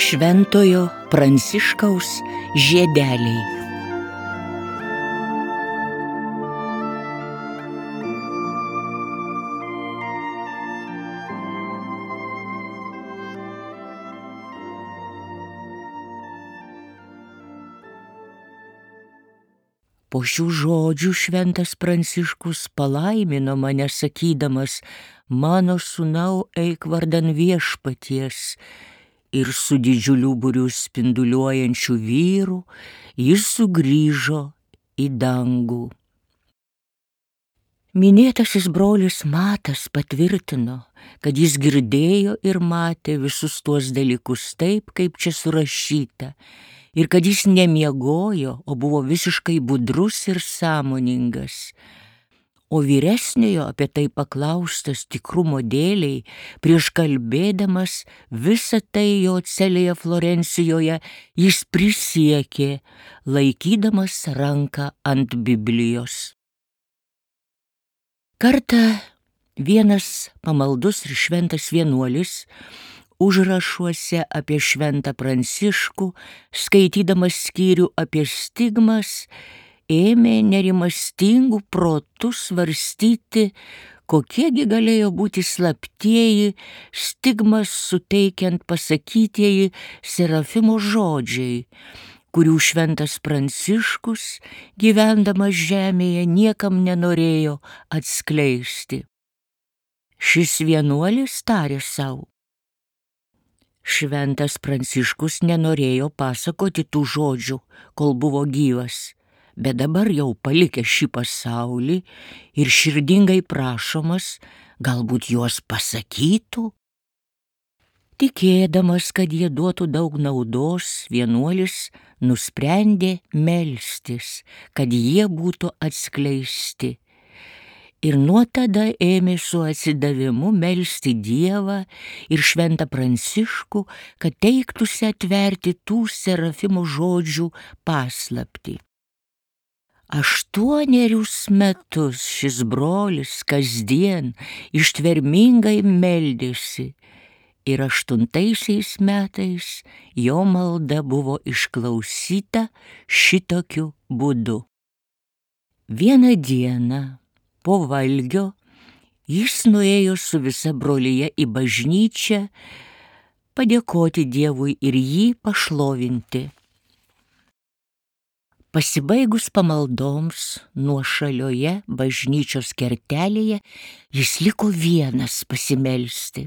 Šventojo Pranciškaus žiedeliai. Po šių žodžių šventas Pranciškus palaimino mane sakydamas: mano sūnau, eik vardan viešpaties. Ir su didžiuliu būriu spinduliuojančių vyrų jis sugrįžo į dangų. Minėtasis brolis Matas patvirtino, kad jis girdėjo ir matė visus tuos dalykus taip, kaip čia surašyta, ir kad jis nemiegojo, o buvo visiškai budrus ir sąmoningas. O vyresniojo apie tai paklaustas tikrumo dėliai, prieš kalbėdamas visą tai jo celėje Florencijoje, jis prisiekė, laikydamas ranką ant Biblijos. Kartą vienas pamaldus ir šventas vienuolis užrašuose apie šventą Pranciškų, skaitydamas skyrių apie stigmas, ėmė nerimastingų protų svarstyti, kokiegi galėjo būti slaptieji stigmas suteikiant pasakytieji Serafimo žodžiai, kurių šventas Pranciškus, gyvendamas žemėje, niekam nenorėjo atskleisti. Šis vienuolis tarė sau: šventas Pranciškus nenorėjo pasakoti tų žodžių, kol buvo gyvas, bet dabar jau palikęs šį pasaulį ir širdingai prašomas, galbūt juos pasakytų. Tikėdamas, kad jie duotų daug naudos, vienuolis nusprendė melstis, kad jie būtų atskleisti. Ir nuo tada ėmė su atsidavimu melsti Dievą ir šventą Pranciškų, kad teiktųsi atverti tų Serafimo žodžių paslaptį. 8 metus šis brolis kasdien ištvermingai meldėsi ir 8 metais jo malda buvo išklausyta šitokiu būdu. Vieną dieną po valgio jis nuėjo su visa brolija į bažnyčią padėkoti Dievui ir jį pašlovinti. Pasibaigus pamaldoms nuošalioje bažnyčios kertelėje jis liko vienas pasimelsti.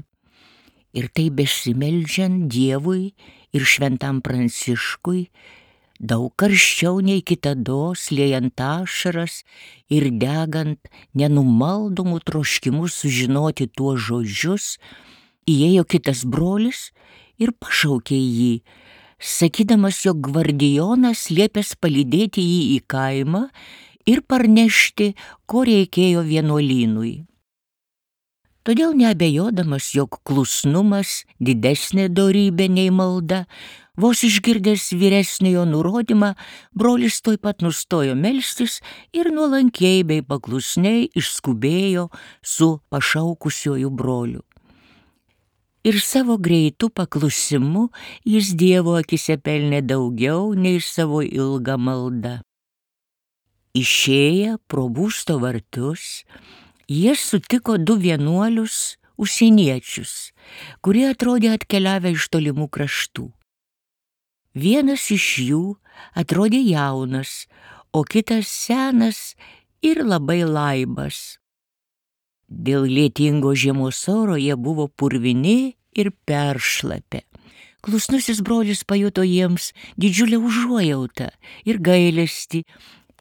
Ir tai besimeldžiant Dievui ir šventam Pranciškui, daug karščiau nei kitados, liejant ašaras ir degant nenumaldomų troškimų sužinoti tuos žodžius, įėjo kitas brolis ir pašaukė jį, sakydamas, jog gvardijonas liepęs palydėti jį į kaimą ir parnešti, ko reikėjo vienuolynui. Todėl neabejodamas, jog klusnumas didesnė dorybė nei malda, vos išgirdęs vyresniojo nurodymą, brolis tuoj pat nustojo melstis ir nuolankiai bei paklusniai išskubėjo su pašaukusiuoju broliu. Ir savo greitų paklusimu jis Dievo akise pelnė daugiau nei savo ilgą maldą. Išėję pro būsto vartus, jie sutiko 2 vienuolius užsieniečius, kurie atrodė atkeliavę iš tolimų kraštų. Vienas iš jų atrodė jaunas, o kitas senas ir labai laibas. Dėl lietingo žiemos oro jie buvo purvini ir peršlapę. Klusnusis brolis pajuto jiems didžiulę užuojautą ir gailestį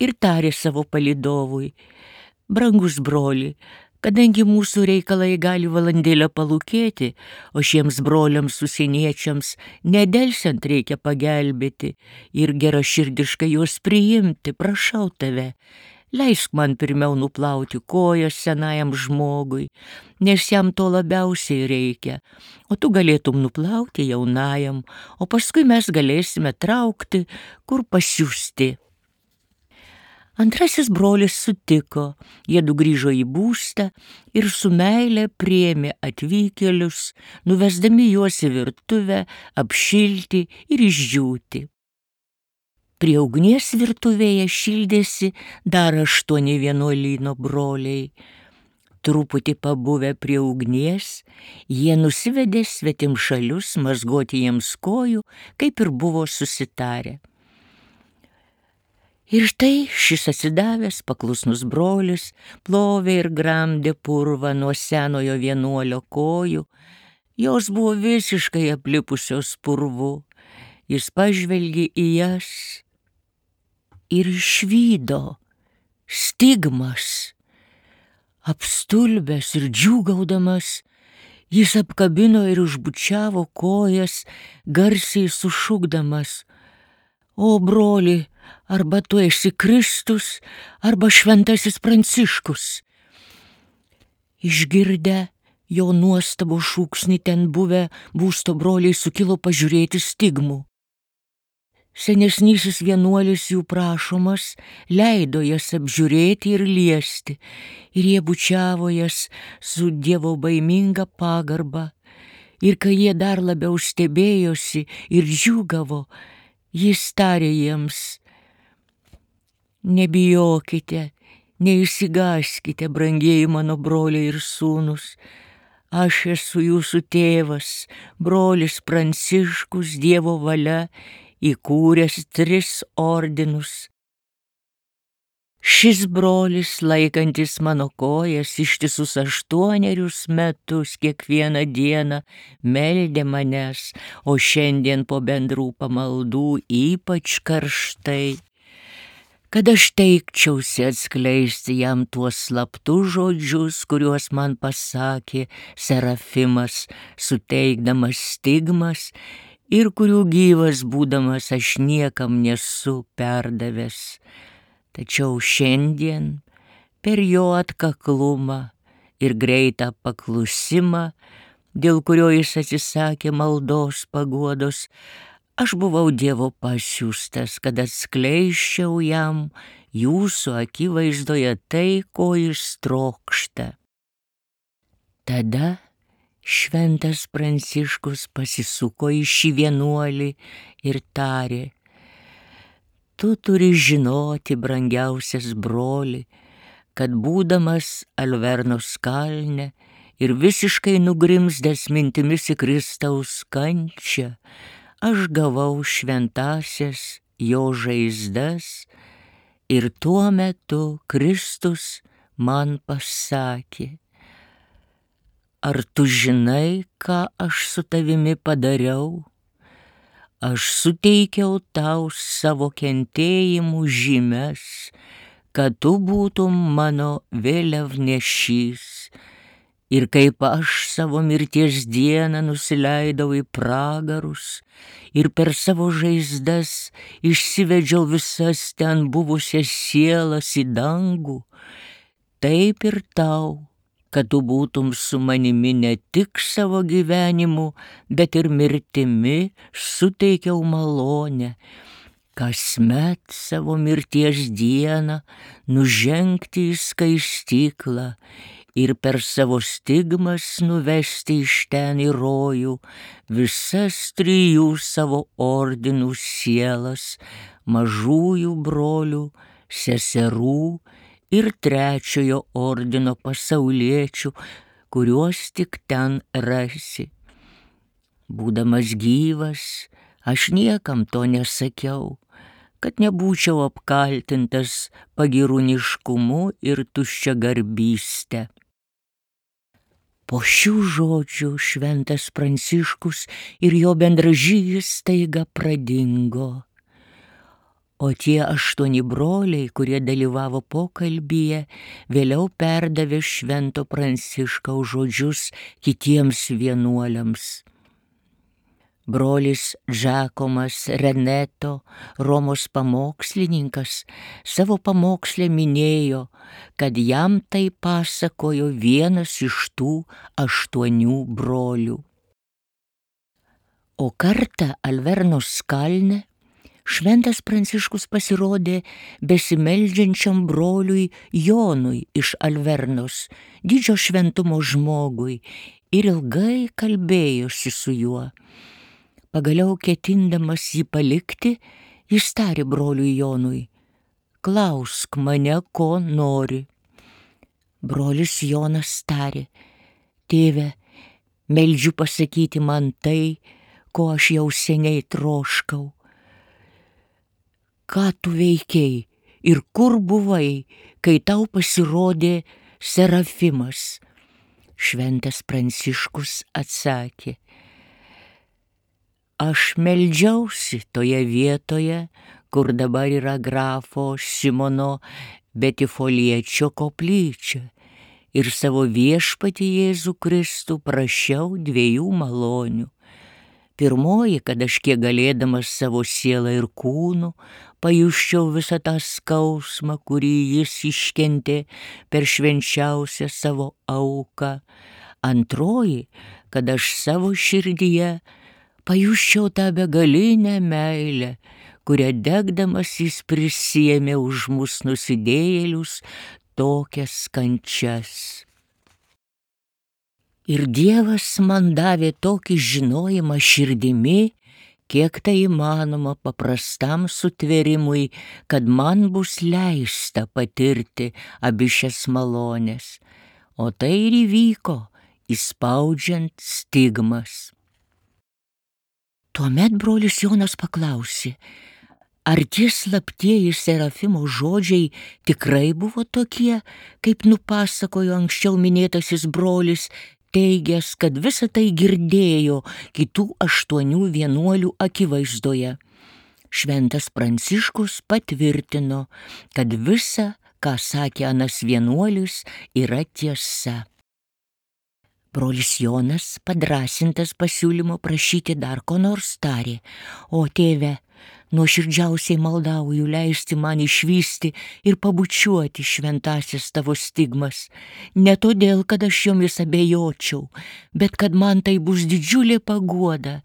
ir tarė savo palydovui: brangus broli, kadangi mūsų reikalai gali valandėlę palūkėti, o šiems broliams užsieniečiams nedelsiant reikia pagelbėti ir geraširdiškai juos priimti, prašau tave, leisk man pirmiau nuplauti kojas senajam žmogui, nes jam to labiausiai reikia, o tu galėtum nuplauti jaunajam, o paskui mes galėsime traukti, kur pasiųsti. Antrasis brolis sutiko, jiedu grįžo į būstą ir su meile priėmė atvykėlius, nuvesdami juos į virtuvę, apšilti ir išdžiūti. Prie ugnies virtuvėje šildėsi dar 8 vienuolyno broliai. Truputį pabuvę prie ugnies, jie nusivedė svetimšalius mazgoti jiems kojų, kaip ir buvo susitarę. Ir štai šis atsidavęs paklusnus brolis plovė ir gramdė purvą nuo senojo vienuolio kojų. Jos buvo visiškai aplipusios purvu. Jis pažvelgė į jas ir išvydo stigmas. Apstulbęs ir džiūgaudamas, jis apkabino ir užbučiavo kojas, garsiai sušukdamas: O broli, arba tu esi Kristus, arba šventasis Pranciškus. Išgirdę jo nuostabų šūksnį ten buvę būsto broliai sukilo pažiūrėti stigmų. Senesnysis vienuolis jų prašomas leido jas apžiūrėti ir liesti, ir jie bučiavo jas su dievo baiminga pagarba. Ir kai jie dar labiau stebėjosi ir džiūgavo, jis tarė jiems: Nebijokite, neišsigąskite, brangieji mano broliai ir sūnus. Aš esu jūsų tėvas, brolis Pranciškus, Dievo valia įkūręs 3 ordinus. Šis brolis, laikantis mano kojas ištisus 8 metus kiekvieną dieną, meldė manęs, o šiandien po bendrų pamaldų ypač karštai, kad aš teikčiausi atskleisti jam tuos slaptus žodžius, kuriuos man pasakė Serafimas, suteikdamas stigmas, ir kurių gyvas būdamas aš niekam nesu perdavęs. Tačiau šiandien per jo atkaklumą ir greitą paklusimą, dėl kurio jis atsisakė maldos paguodos, aš buvau Dievo pasiųstas, kad atskleisčiau jam jūsų akivaizdoje tai, ko jis trokšta. Tada šventas Pranciškus pasisuko į šį vienuolį ir tarė: Tu turi žinoti, brangiausias broli, kad būdamas Alvernos kalne ir visiškai nugrimzdęs mintimis į Kristaus kančią, aš gavau šventąsias jo žaizdas ir tuo metu Kristus man pasakė: Ar tu žinai, ką aš su tavimi padariau? Aš suteikiau tau savo kentėjimų žymes, kad tu būtum mano vėliavnešys. Ir kaip aš savo mirties dieną nusileidau į pragarus ir per savo žaizdas išsivedžiau visas ten buvusias sielas į dangų, taip ir tau, kad tu būtum su manimi ne tik savo gyvenimu, bet ir mirtimi, suteikiau malonę, kasmet savo mirties dieną nužengti į skaistyklą ir per savo stigmas nuvesti iš ten į rojų visas 3 savo ordinų sielas, mažųjų brolių, seserų ir 3 ordino pasauliečių, kuriuos tik ten rasi. Būdamas gyvas, aš niekam to nesakiau, kad nebūčiau apkaltintas pagyrūniškumu ir tuščiagarbyste. Po šių žodžių šventas Pranciškus ir jo bendražygis staiga pradingo. O tie 8 broliai, kurie dalyvavo pokalbyje, vėliau perdavė švento Pranciškaus žodžius kitiems vienuoliams. Brolis Džakomas Reneto, Romos pamokslininkas, savo pamoksle minėjo, kad jam tai pasakojo vienas iš tų 8 brolių. O kartą Alvernos kalne Šventas Pranciškus pasirodė besimeldžiančiam broliui Jonui iš Alvernos, didžio šventumo žmogui, ir ilgai kalbėjosi su juo. Pagaliau ketindamas jį palikti, jis tarė broliui Jonui: klausk mane, ko nori. Brolis Jonas tarė: tėve, meldžiu pasakyti man tai, ko aš jau seniai troškau. Ką tu veikei ir kur buvai, kai tau pasirodė Serafimas? Šventas Pranciškus atsakė: aš meldžiausi toje vietoje, kur dabar yra grafo Simono Betifoliečio koplyčia, ir savo viešpatį Jėzų Kristų prašiau dviejų malonių. Pirmoji, kad aš kiek galėdamas savo sielą ir kūnu pajusčiau visą tą skausmą, kurį jis iškentė per švenčiausią savo auką. Antroji, kad aš savo širdyje pajusčiau tą begalinę meilę, kurią degdamas jis prisiėmė už mus nusidėjėlius tokias kančias. Ir Dievas man davė tokį žinojimą širdimi, kiek tai įmanoma paprastam sutvėrimui, kad man bus leista patirti abi šias malones. O tai ir įvyko, įspaudžiant stigmas. Tuomet brolis Jonas paklausė: ar tie slaptieji Serafimo žodžiai tikrai buvo tokie, kaip nupasakojo anksčiau minėtasis brolis, teigęs, kad visą tai girdėjo kitų 8 vienuolių akivaizdoje? Šventas Pranciškus patvirtino, kad visa, ką sakė anas vienuolis, yra tiesa. Brolis Jonas, padrąsintas pasiūlymo prašyti dar ko nors, tarė: o tėve, nuoširdžiausiai maldauju leisti man išvysti ir pabučiuoti šventasias tavo stigmas, ne todėl, kad aš jomis abejočiau, bet kad man tai bus didžiulė paguoda,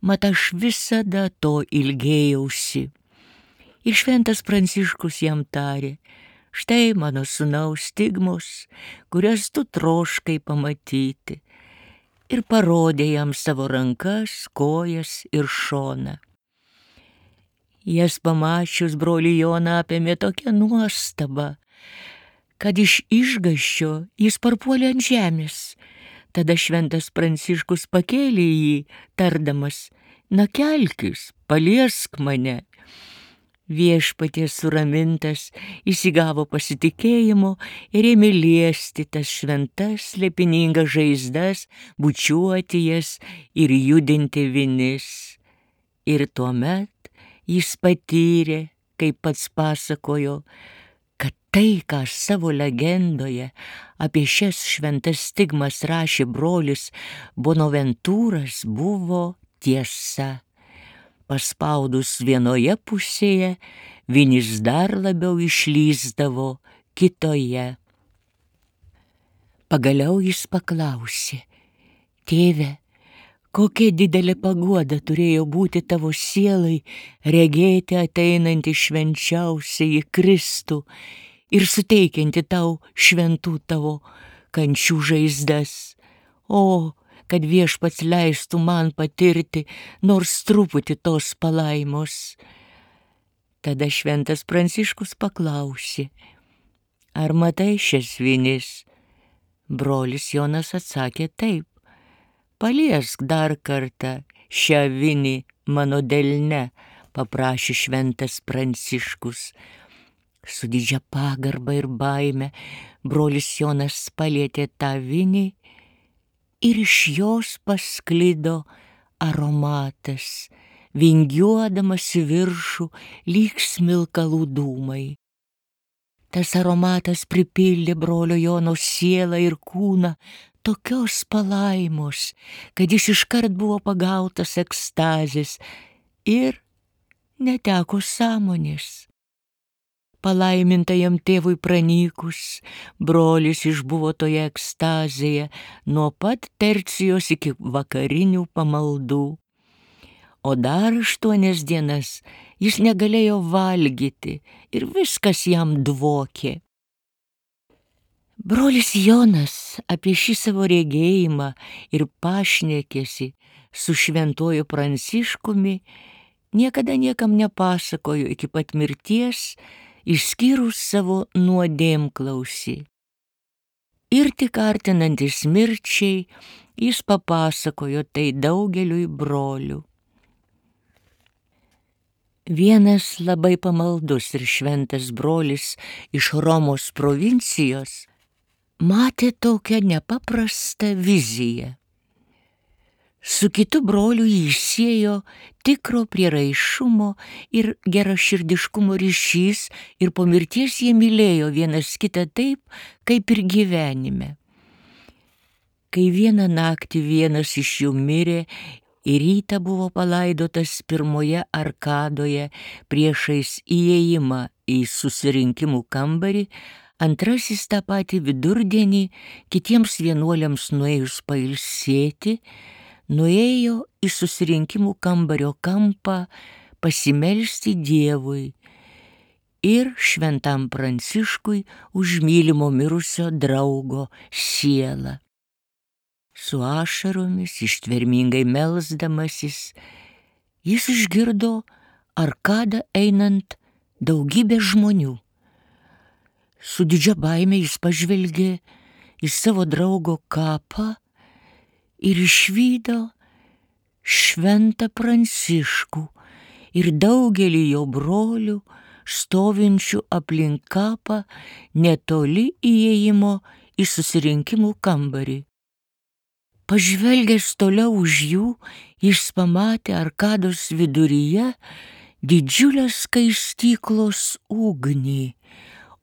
mat aš visada to ilgėjausi. Ir šventas Pranciškus jam tarė: štai mano sūnaus stigmos, kurias tu troškai pamatyti, ir parodė jam savo rankas, kojas ir šoną. Jas pamačius brolį Joną apėmė tokia nuostaba, kad iš išgąsčio jis parpuolė ant žemės. Tada šventas Pranciškus pakėlė jį, tardamas: na kelkis, paliesk mane. Viešpaties suramintas įsigavo pasitikėjimo ir ėmė liesti tas šventas slėpiningas žaizdas, bučiuoti jas ir judinti vinis. Ir tuomet jis patyrė, kaip pats pasakojo, kad tai, ką savo legendoje apie šias šventas stigmas rašė brolis Bonaventūras, buvo tiesa. Paspaudus vienoje pusėje, vinis dar labiau išlįsdavo kitoje. Pagaliau jis paklausė: tėve, kokia didelė paguoda turėjo būti tavo sielai regėti ateinantį švenčiausiąjį Kristų ir suteikianti tau šventų tavo kančių žaizdas. O, kad viešpats leistų man patirti nors truputį tos palaimos. Tada šventas Pranciškus paklausė: ar matai šias vinis? Brolis Jonas atsakė: taip. Paliesk dar kartą šią vinį mano delne, paprašė šventas Pranciškus. Su didžia pagarba ir baime brolis Jonas palietė tą vinį ir iš jos pasklido aromatas, vingiuodamas į viršų lyg smilkalų dūmai. Tas aromatas pripildė brolio Jono sielą ir kūną tokios palaimos, kad jis iškart buvo pagautas ekstazės ir neteko sąmonės. Palaimintajam tėvui pranykus, brolis išbuvo toje ekstazėje nuo pat tercijos iki vakarinių pamaldų. O dar 8 dienas Jis negalėjo valgyti ir viskas jam dvokė. Brolis Jonas apie šį savo regėjimą ir pašnekesį su šventuoju Pranciškumi niekada niekam nepasakojo iki pat mirties, išskyrus savo nuodėmklausį. Ir tik artinantis mirčiai jis papasakojo tai daugeliui brolių. Vienas labai pamaldus ir šventas brolis iš Romos provincijos matė tokią nepaprastą viziją. Su kitu broliu jį siejo tikro prieraišumo ir geraširdiškumo ryšys ir po mirties jie mylėjo vienas kitą taip, kaip ir gyvenime. Kai vieną naktį vienas iš jų mirė ir rytą buvo palaidotas pirmoje arkadoje priešais įėjimą į susirinkimų kambarį, antrasis tą patį vidurdienį kitiems vienuoliams nuėjus pailsėti, nuėjo į susirinkimų kambario kampą pasimelsti Dievui ir šventam Pranciškui už mylimo mirusio draugo sielą. Su ašaromis ištvermingai melsdamasis, jis išgirdo arkadą einant daugybę žmonių. Su didžia baime jis pažvelgė į savo draugo kapą ir išvydo šventą Pranciškų ir daugelį jo brolių stovinčių aplink kapą netoli įėjimo į susirinkimų kambarį. Pažvelgęs toliau už jų, jis pamatė arkados viduryje didžiulę skaistyklos ugnį,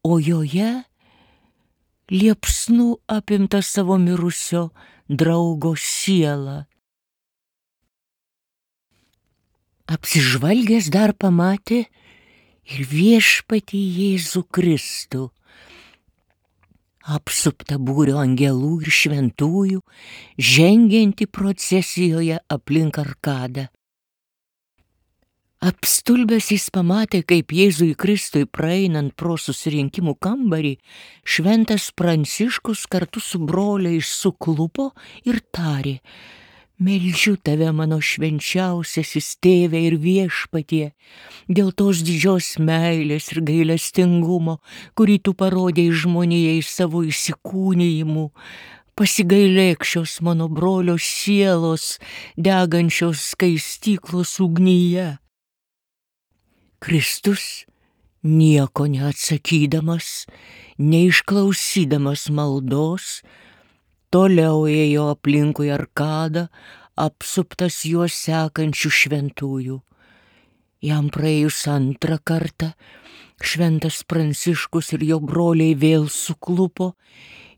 o joje liepsnų apimta savo mirusio draugo sielą. Apsižvalgęs dar pamatė ir viešpatį Jėzų Kristų, apsuptą būrio angelų ir šventųjų, žengiantį procesijoje aplink arkadą. Apstulbęs jis pamatė, kaip Jėzui Kristui praeinant pro susirinkimų kambarį, šventas Pranciškus kartu su broliais suklupo ir tarė: Meldžiu tave, mano švenčiausiasis tėve ir viešpatie, dėl tos didžios meilės ir gailestingumo, kurį tu parodei žmonijai savo įsikūnijimu, pasigailėk šios mano brolio sielos degančios skaistyklos ugnyje. Kristus, nieko neatsakydamas, neišklausydamas maldos, toliau ėjo aplinkui arkadą, apsuptas juos sekančių šventųjų. Jam praėjus antrą kartą, šventas Pranciškus ir jo broliai vėl suklupo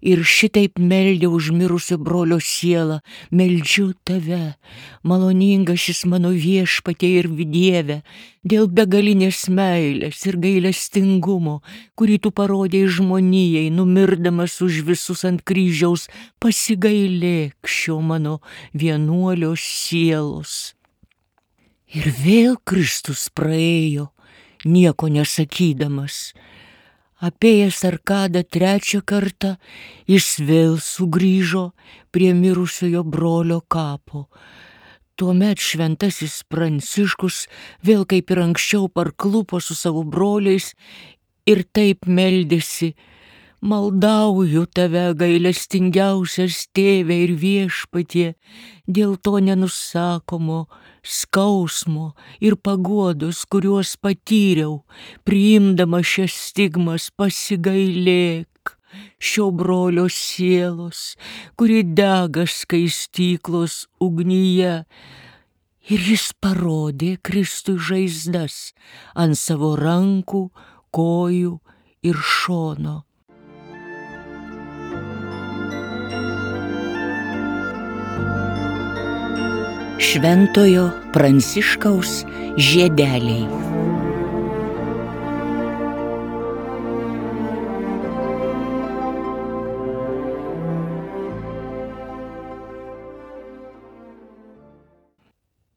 ir šitaip meldė už mirusio brolio sielą: Meldžiu tave, maloningasis mano viešpatie ir Dieve, dėl begalinės meilės ir gailestingumo, kurį tu parodei žmonijai, numirdamas už visus ant kryžiaus, pasigailėk šio mano vienuolio sielos. Ir vėl Kristus praėjo, nieko nesakydamas. Apėjęs arkadą trečią kartą, jis vėl sugrįžo prie mirusiojo brolio kapo. Tuomet šventasis Pranciškus vėl kaip ir anksčiau parklupo su savo broliais ir taip meldėsi: Maldauju tave, gailestingiausias tėve ir viešpatie, dėl to nenusakomo skausmo ir paguodos, kuriuos patyriau, priimdama šias stigmas, pasigailėk šio brolio sielos, kuri dega skaistyklos ugnyje. Ir jis parodė Kristui žaizdas ant savo rankų, kojų ir šono. Šventojo Pranciškaus žiedeliai.